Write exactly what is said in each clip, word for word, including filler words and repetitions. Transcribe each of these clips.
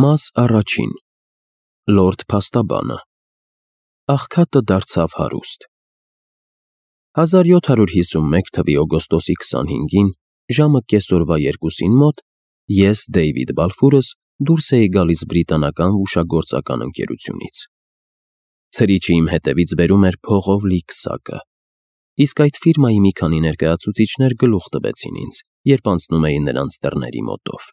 Մաս առաջին Լորդ Փաստաբանը Աղքատը դարձավ հարուստ հազար յոթ հարյուր հիսունմեկ թվականի օգոստոսի քսանհինգին ժամը կեսօրվա երկուսին մոտ ես Դեյվիդ Բալֆուրս դուրս էի գալիս բրիտանական հուշագործական ընկերությունից։ Ցրիչը իմ հետևից բերում էր փողով լի քսակը, իսկ այդ ֆիրմայի մի քանի ներկայացուցիչներ գլուխ տվեցին ինձ, երբ անցնում էի նրանց դռների մոտով։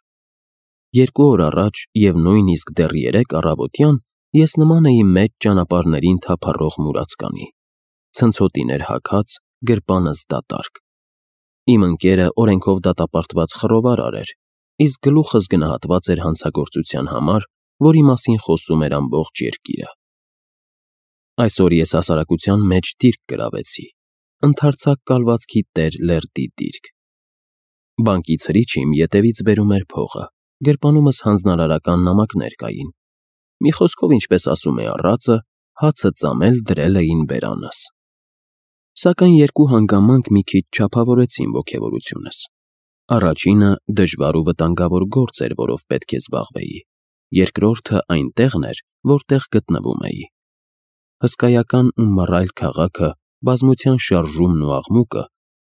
Երկու օր առաջ և նույնիսկ դեռ երեկ առավոտյան ես նման էի մեծ ճանապարհներին թափառող մուրացկանի, ցնցոտիներ հագած, գրպանս դատարկ։ Իմ ընկերը օրենքով դատապարտված խռովարար էր, իսկ գլուխս գնահատված էր հանցագործության համար, որի մասին խոսում էր ամբողջ երկիրը։ Այսօր ես հասարակության մեջ դիրք գրավեցի, ընդարձակ կալվածքի տեր Լերդի դիրք։ Բանկի ցրիչը իմ ետևից բերում էր փողը, գրպանումս հանձնարարական նամակներ կային։ Մի խոսքով, ինչպես ասում է առածը, հացը ծամել դրել էին բերանս։ Սակայն երկու հանգամանք մի քիչ չափավորեցին ոգևորությունս։ Առաջինը դժվար ու վտանգավոր գործ էր, որով պետք է զբաղվեի, երկրորդը այնտեղն էր, որտեղ գտնվում էի։ Հսկայական ու մռայլ քաղաքը, բազմության շարժումն ու աղմուկը,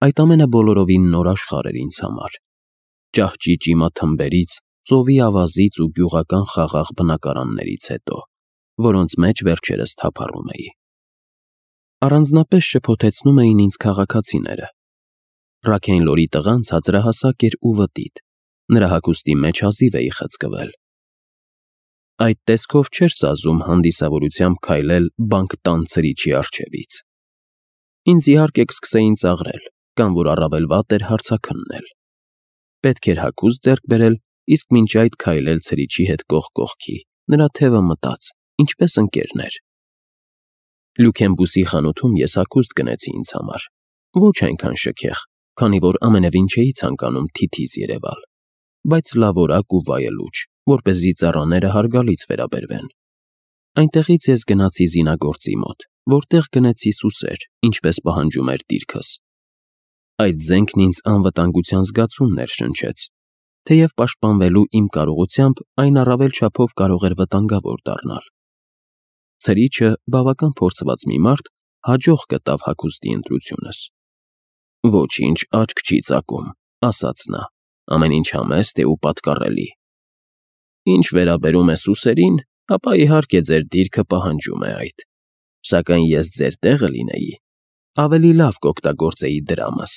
այդ ամենը բոլորովին նոր աշխարհ էր ինձ համար։ Ճահճի ճիմաթմբերից, ծովի ավազից ու գյուղական խաղաղ բնակարաններից հետո, որոնց մեջ վերջերս թափառում էի։ Առանձնապես շփոթեցնում էին ինձ քաղաքացիները։ Ռաքենլորի տղան ցածրահասակ էր ու վտիտ, նրա հագուստի մեջ հազիվ էի խցկվել։ Այդ տեսքով չէր սազում հանդիսավորությամբ քայլել բանկտան ցրիչի առջևից։ Ինձ իհարկե կսկսեին ծաղրել, կամ որ առավել վատ էր հարցաքննել։ Պետք էր հագուստ ձեռք բերել, իսկ մինչ այդ քայլել ցրիչի հետ կողք կողքի, նրա թևը մտած, ինչպես ընկերներ։ Լյուքենբուսի խանութում ես հագուստ գնեցի ինձ համար, ոչ այնքան շքեղ, քանի որ ամենևին չէի ցանկանում թիթիզ երևալ, բայց լավորակ ու վայելուչ, որպեսզի ծառաները հարգալից վերաբերվեն։ Այնտեղից ես գնացի զինագործի մոտ, որտեղ գնեցի սուսեր, ինչպես պահանջում էր դիրքս։ Այդ զենքն ինձ անվտանգության զգացում ներշնչեց, թեև պաշտպանվելու իմ կարողությամբ այն առավել չափով կարող էր վտանգավոր դառնալ։ Ցրիչը, բավական փորձված մի մարդ, հաջող գտավ հագուստի ընտրությունս։ «Ոչինչ աչք չի ծակում», ասաց նա, «ամեն ինչ համեստ է ու պատկառելի։ Ինչ վերաբերում է սուսերին, ապա իհարկե ձեր դիրքը պահանջում է այդ, սակայն ես ձեր տեղը լինեի, ավելի լավ կօգտագործեի դրամս»։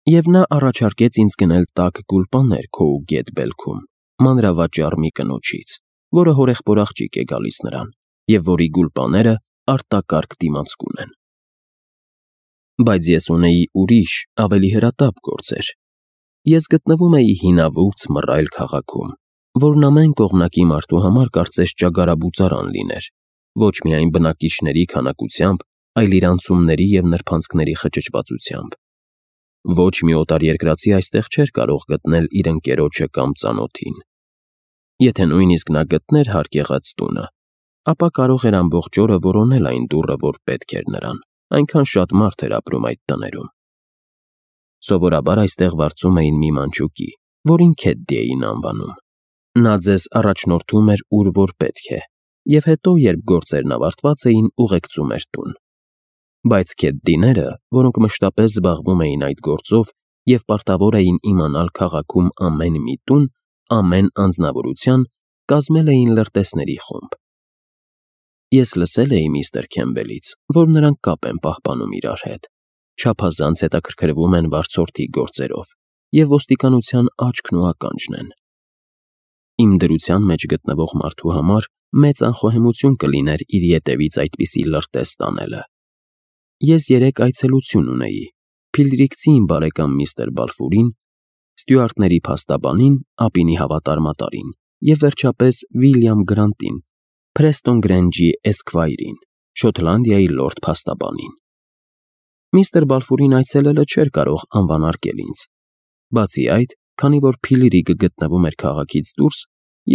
Եվ նա առաջարկեց ինձ գնել տաք գուլպաներ քո ու Գետ Բելքում, մանրավաճառ մի կնոջից, որը հորեղբոր աղջիկ է գալիս նրան, և որի գուլպաները արտակարգ դիմացկուն են։ Բայց ես ունեի ուրիշ, ավելի հրատապ գործեր։ Ես գտնվում էի հինավուրց մռայլ քաղաքում, որն ամեն կողմնակի մարդու համար կարծես ճագարաբուծարան լիներ, ոչ միայն բնակիչների քանակությամբ, այլ իր անցումների և նրբանցքների խճճվածությամբ։ Ոչ մի օտարերկրացի այստեղ չէր կարող գտնել իր ընկերոջը կամ ծանոթին։ Եթե նույնիսկ նա գտներ հարկ եղած տունը, ապա կարող էր ամբողջ օրը որոնել այն դուռը, որ պետք էր նրան, այնքան շատ մարդ էր ապրում այդ տներում։ Սովորաբար այստեղ վարձում էին մի մանչուկի, որին Քեդդի էին անվանում։ Նա ձեզ առաջնորդում էր ուր որ պետք է, և հետո, երբ գործերն ավարտված էին, ուղեկցում էր տուն։ Բայց Քեդդիները, որոնք մշտապես զբաղվում էին այդ գործով և պարտավոր էին իմանալ քաղաքում ամեն մի տուն, ամեն անձնավորության, կազմել էին լրտեսների խումբ։ Ես լսել էի միստր Քեմբելից, որ նրանք կապ են պահպանում իրար հետ, չափազանց հետաքրքրվում են վարձորդի գործերով և ոստիկանության աչքն ու ականջն են։ Իմ դրության մեջ գտնվող մարդու համար մեծ անխոհեմություն կլիներ իր ետևից այդպիսի լրտես տանելը։ Ես երեկ այցելություն ունեի Փիլրիքցի իմ բարեկամ միստր Բալֆուրին, Ստյուարտների փաստաբանին, Ապինի հավատարմատարին և վերջապես Վիլյամ Գրանտին, Փրեստոն Գրենջի Էսքվայրին, Շոտլանդիայի լորդ փաստաբանին։ Միստր Բալֆուրին այցելելը չէր կարող անվանարկել ինձ։ Բացի այդ, քանի որ Փիլրիկը գտնվում էր քաղաքից դուրս,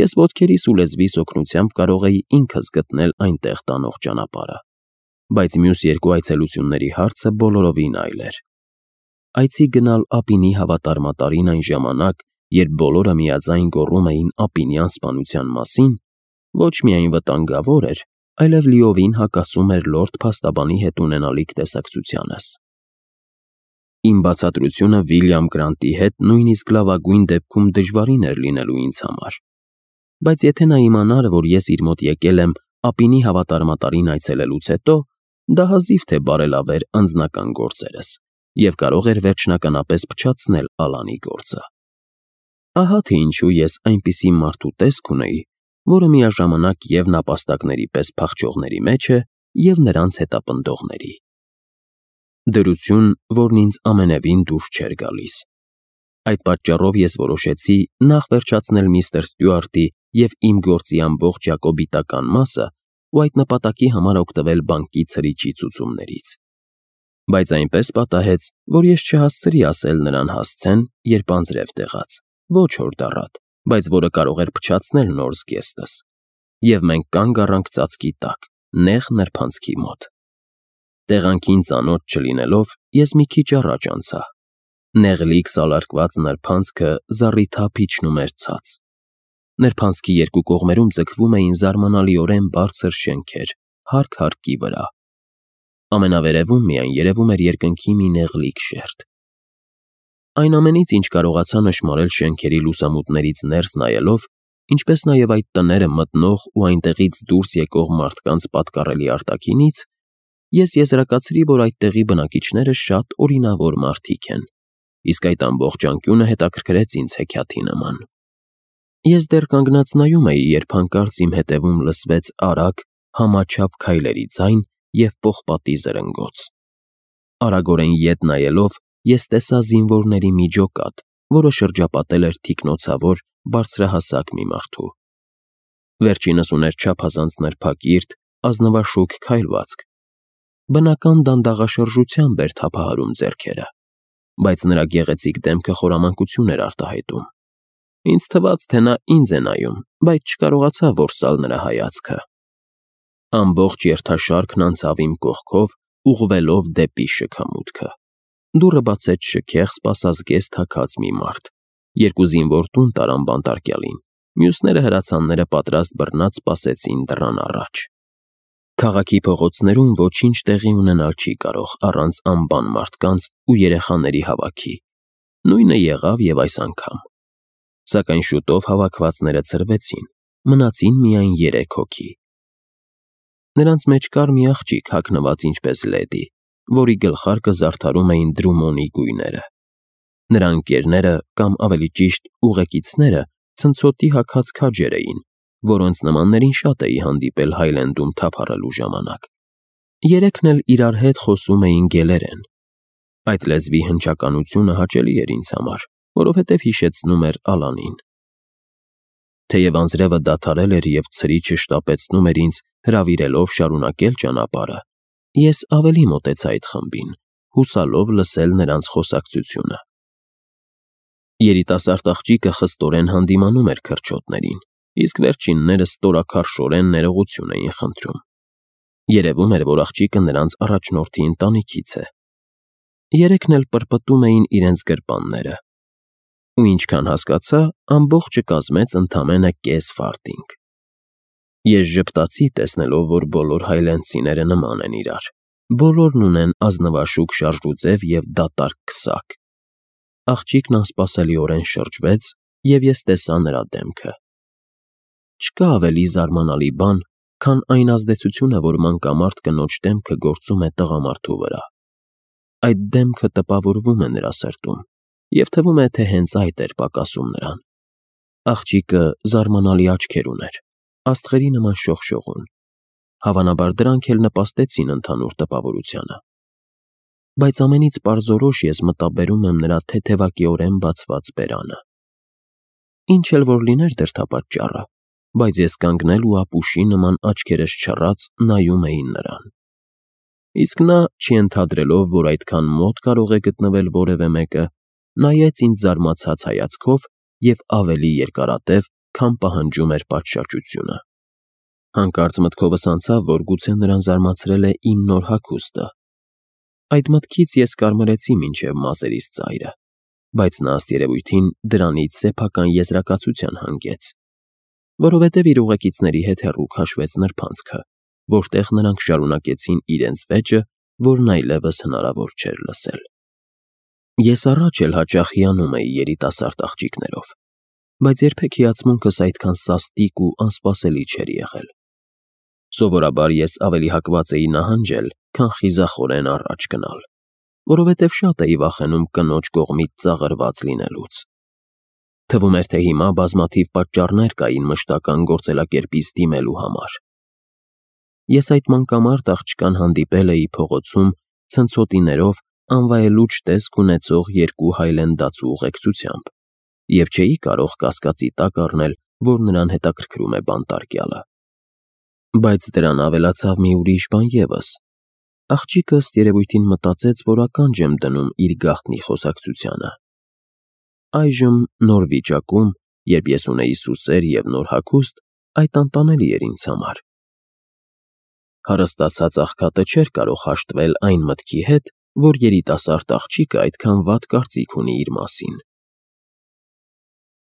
ես ոտքերիս ու լեզվիս օգնությամբ կարող էի ինքս գտնել այնտեղ տանող ճանապարհը։ Բայց մյուս երկու այցելությունների հարցը բոլորովին այլ էր։ Այցի գնալ Ապինի հավատարմատարին այն ժամանակ, երբ բոլորը միաձայն գոռում էին ապինյան սպանության մասին, ոչ միայն վտանգավոր էր, այլև լիովին հակասում էր լորդ փաստաբանի հետ ունենալիք տեսակցությանս։ Իմ բացատրությունը Վիլյամ Գրանտի հետ նույնիսկ լավագույն դեպքում դժվարին էր լինելու ինձ համար, բայց եթե նա իմանար, որ ես իր մոտ եկել եմ ապինի հավատարմատարին այցելելուց հետո, դա հազիվ թե բարելավեր անձնական գործերս և կարող էր վերջնականապես փչացնել Ալանի գործը։ Ահա թե ինչու ես այնպիսի մարդու տեսք ունեի, որը միաժամանակ և նապաստակների պես փախչողների մեջ է, և նրանց հետապնդողների։ Դրություն, որն ինձ ամենևին դուր չէր գալիս։ Այդ պատճառով ես որոշեցի նախ վերջացնել միստր Ստյուարտի և իմ գործի ամբողջ ճակոբիտական մասը ու այդ նպատակի համար օգտվել բանկի ցրիչի ցուցումներից։ Բայց այնպես պատահեց, որ ես չհասցրի ասել նրան հասցեն, երբ անձրև տեղաց, ոչ հորդառատ, բայց որը կարող էր փչացնել նոր զգեստս, և մենք կանգ առանք ծածկի տակ, նեղ նրբանցքի մոտ։ Տեղանքին ծանոթ չլինելով, ես մի քիչ առաջ անցա։ Նեղլիկ սալարկված նրբանցքը զառիթափ իջնում էր ցած։ Նրբանցքի երկու կողմերում ձգվում էին զարմանալիորեն բարձր շենքեր, հարկ հարկի վրա։ Ամենավերևում միայն երևում էր երկնքի մի նեղլիկ շերտ։ Այն ամենից, ինչ կարողացա նշմարել շենքերի լուսամուտներից ներս նայելով, ինչպես նաև այդ տները մտնող ու այնտեղից դուրս եկող մարդկանց պատկառելի արտաքինից, ես եզրակացրի, որ այդտեղի բնակիչները շատ օրինավոր մարդիկ են, իսկ այդ ամբողջ անկյունը հետաքրքրեց ինձ հեքիաթի նման։ Ես դեռ կանգնած նայում էի, երբ հանկարծ իմ հետևում լսվեց արագ, համաչափ քայլերի ձայն և պողպատի զրնգոց։ Արագորեն ետ նայելով, ես տեսա զինվորների մի ջոկատ, որը շրջապատել էր թիկնոցավոր, բարձրահասակ մի մարդու։ Վերջինս ուներ չափազանց նրբակիրթ, ազնվաշուք քայլվածք։ Բնական դանդաղաշրջությամբ էր թափահարում ձեռքերը, բայց նրա գեղեցիկ դեմքը խորամանկություն էր արտահայտում։ Ինձ թվաց, թե նա ինձ է նայում, բայց չկարողացա որսալ նրա հայացքը։ Ամբողջ երթաշարքն անցավ իմ կողքով, ուղղվելով դեպի շքամուտքը։ Դուռը բացեց շքեղ, սպասազգեստ հագած մի մարդ։ Երկու զինվոր տուն տարան բանտարկյալին, մյուսները հրացանները պատրաստ բռնած սպասեցին դռան առաջ։ Քաղաքի փողոցներում ոչինչ տեղի ունենալ չի կարող առանց անբան մարդկանց ու երեխաների հավաքի։ Նույնը եղավ և այս անգամ։ Սակայն շուտով հավաքվածները ցրվեցին, մնացին միայն երեք հոգի։ Նրանց մեջ կար մի աղջիկ հագնված ինչպես լեդի, որի գլխարկը զարդարում էին Դրումոնի գույները։ Նրա ընկերները, կամ ավելի ճիշտ ուղեկիցները, ցնցոտի հագած քաջեր էին, որոնց նմաններին շատ էի հանդիպել Հայլենդում թափառելու ժամանակ։ Երեքն էլ իրար հետ խոսում էին գելերեն։ Այդ լեզվի հնչականությունը հաճելի էր ինձ համար, որովհետև հիշեցնում էր Ալանին։ Թեև անձրևը դադարել էր և ցրիչը շտապեցնում էր ինձ հրավիրելով շարունակել ճանապարհը, ես ավելի մոտեցա այդ խմբին, հուսալով լսել նրանց խոսակցությունը։ Երիտասարդ աղջիկը խստորեն հանդիմանում էր քրչոտներին, իսկ վերջինները ստորաքարշորեն ներողություն էին խնդրում։ Երևում էր, որ աղջիկը նրանց առաջնորդի ընտանիքից է։ Երեքն էլ պրպտում էին իրենց գրպանները։ Ու ինչքան հասկացա, ամբողջը կազմեց ընդամենը կես ֆարտինգ։ Ես ժպտացի, տեսնելով, որ բոլոր հայլենդցիները նման են իրար։ Բոլորն ունեն ազնվաշուք շարժուձև և դատարկ քսակ։ Աղջիկն անսպասելիորեն շրջվեց, և ես տեսա նրա դեմքը։ Չկա ավելի զարմանալի բան, քան այն ազդեցությունը, որ մանկամարդ կնոջ դեմքը գործում է տղամարդու վրա։ Այդ դեմքը տպավորվում է նրա սրտում, և թվում է, թե հենց այդ էր պակասում նրան։ Աղջիկը զարմանալի աչքեր ուներ, աստղերի նման շողշողուն։ Հավանաբար դրանք էլ նպաստեցին ընդհանուր տպավորությանը։ Բայց ամենից պարզորոշ ես մտաբերում եմ նրա թեթևակիորեն բացված բերանը։ Ինչ էլ որ լիներ դրդապատճառը, բայց ես կանգնել ու ապուշի նման աչքերս չռած նայում էի նրան։ Իսկ նա, չենթադրելով, որ այդքան մոտ կարող է գտնվել որևէ մեկը, նայեց ինձ զարմացած հայացքով և ավելի երկարատև, քան պահանջում էր պատշաճությունը։ Հանկարծ մտքովս անցավ, որ գուցե նրան զարմացրել է իմ նոր հագուստը։ Այդ մտքից ես կարմրեցի մինչև մազերիս ծայրը։ բայց նա ըստ երևույթին դրանից սեփական եզրակացության հանգեց, որովհետև իր ուղեկիցների հետ հեռու քաշվեց նրբանցքը, որտեղ նրանք շարունակեցին իրենց վեճը, որն այլևս հնարավոր չէր լսել։ Ես առաջ էլ հաճախ հիանում էի երիտասարդ աղջիկներով, բայց երբեք հիացմունքս այդքան սաստիկ ու անսպասելի չէր եղել։ Սովորաբար ես ավելի հակված էի նահանջել, քան խիզախորեն առաջ գնալ, որովհետև շատ էի վախենում կնոջ կողմից ծաղրված լինելուց։ Թվում էր, թե հիմա բազմաթիվ պատճառներ կային մշտական գործելակերպից դիմելու համար։ Ես այդ մանկամարդ աղջկան հանդիպել էի փողոցում ցնցոտիներով անվայելուչ տեսք ունեցող երկու հայլենդացու ուղեկցությամբ և չէի կարող կասկածի տակ առնել, որ նրան հետաքրքրում է բանտարկյալը։ Բայց դրան ավելացավ մի ուրիշ բան ևս. աղջիկը ըստ երևույթին մտածեց, որ ականջ եմ դնում իր գաղտնի խոսակցությանը։ Այժմ, նոր վիճակում, երբ ես ունեի սուսեր և նոր հագուստ, այդ անտանելի էր ինձ համար։ Հարստացած աղքատը չէր կարող հաշտվել այն մտքի հետ, որ երիտասարդ աղջիկը այդքան վատ կարծիք ունի իր մասին։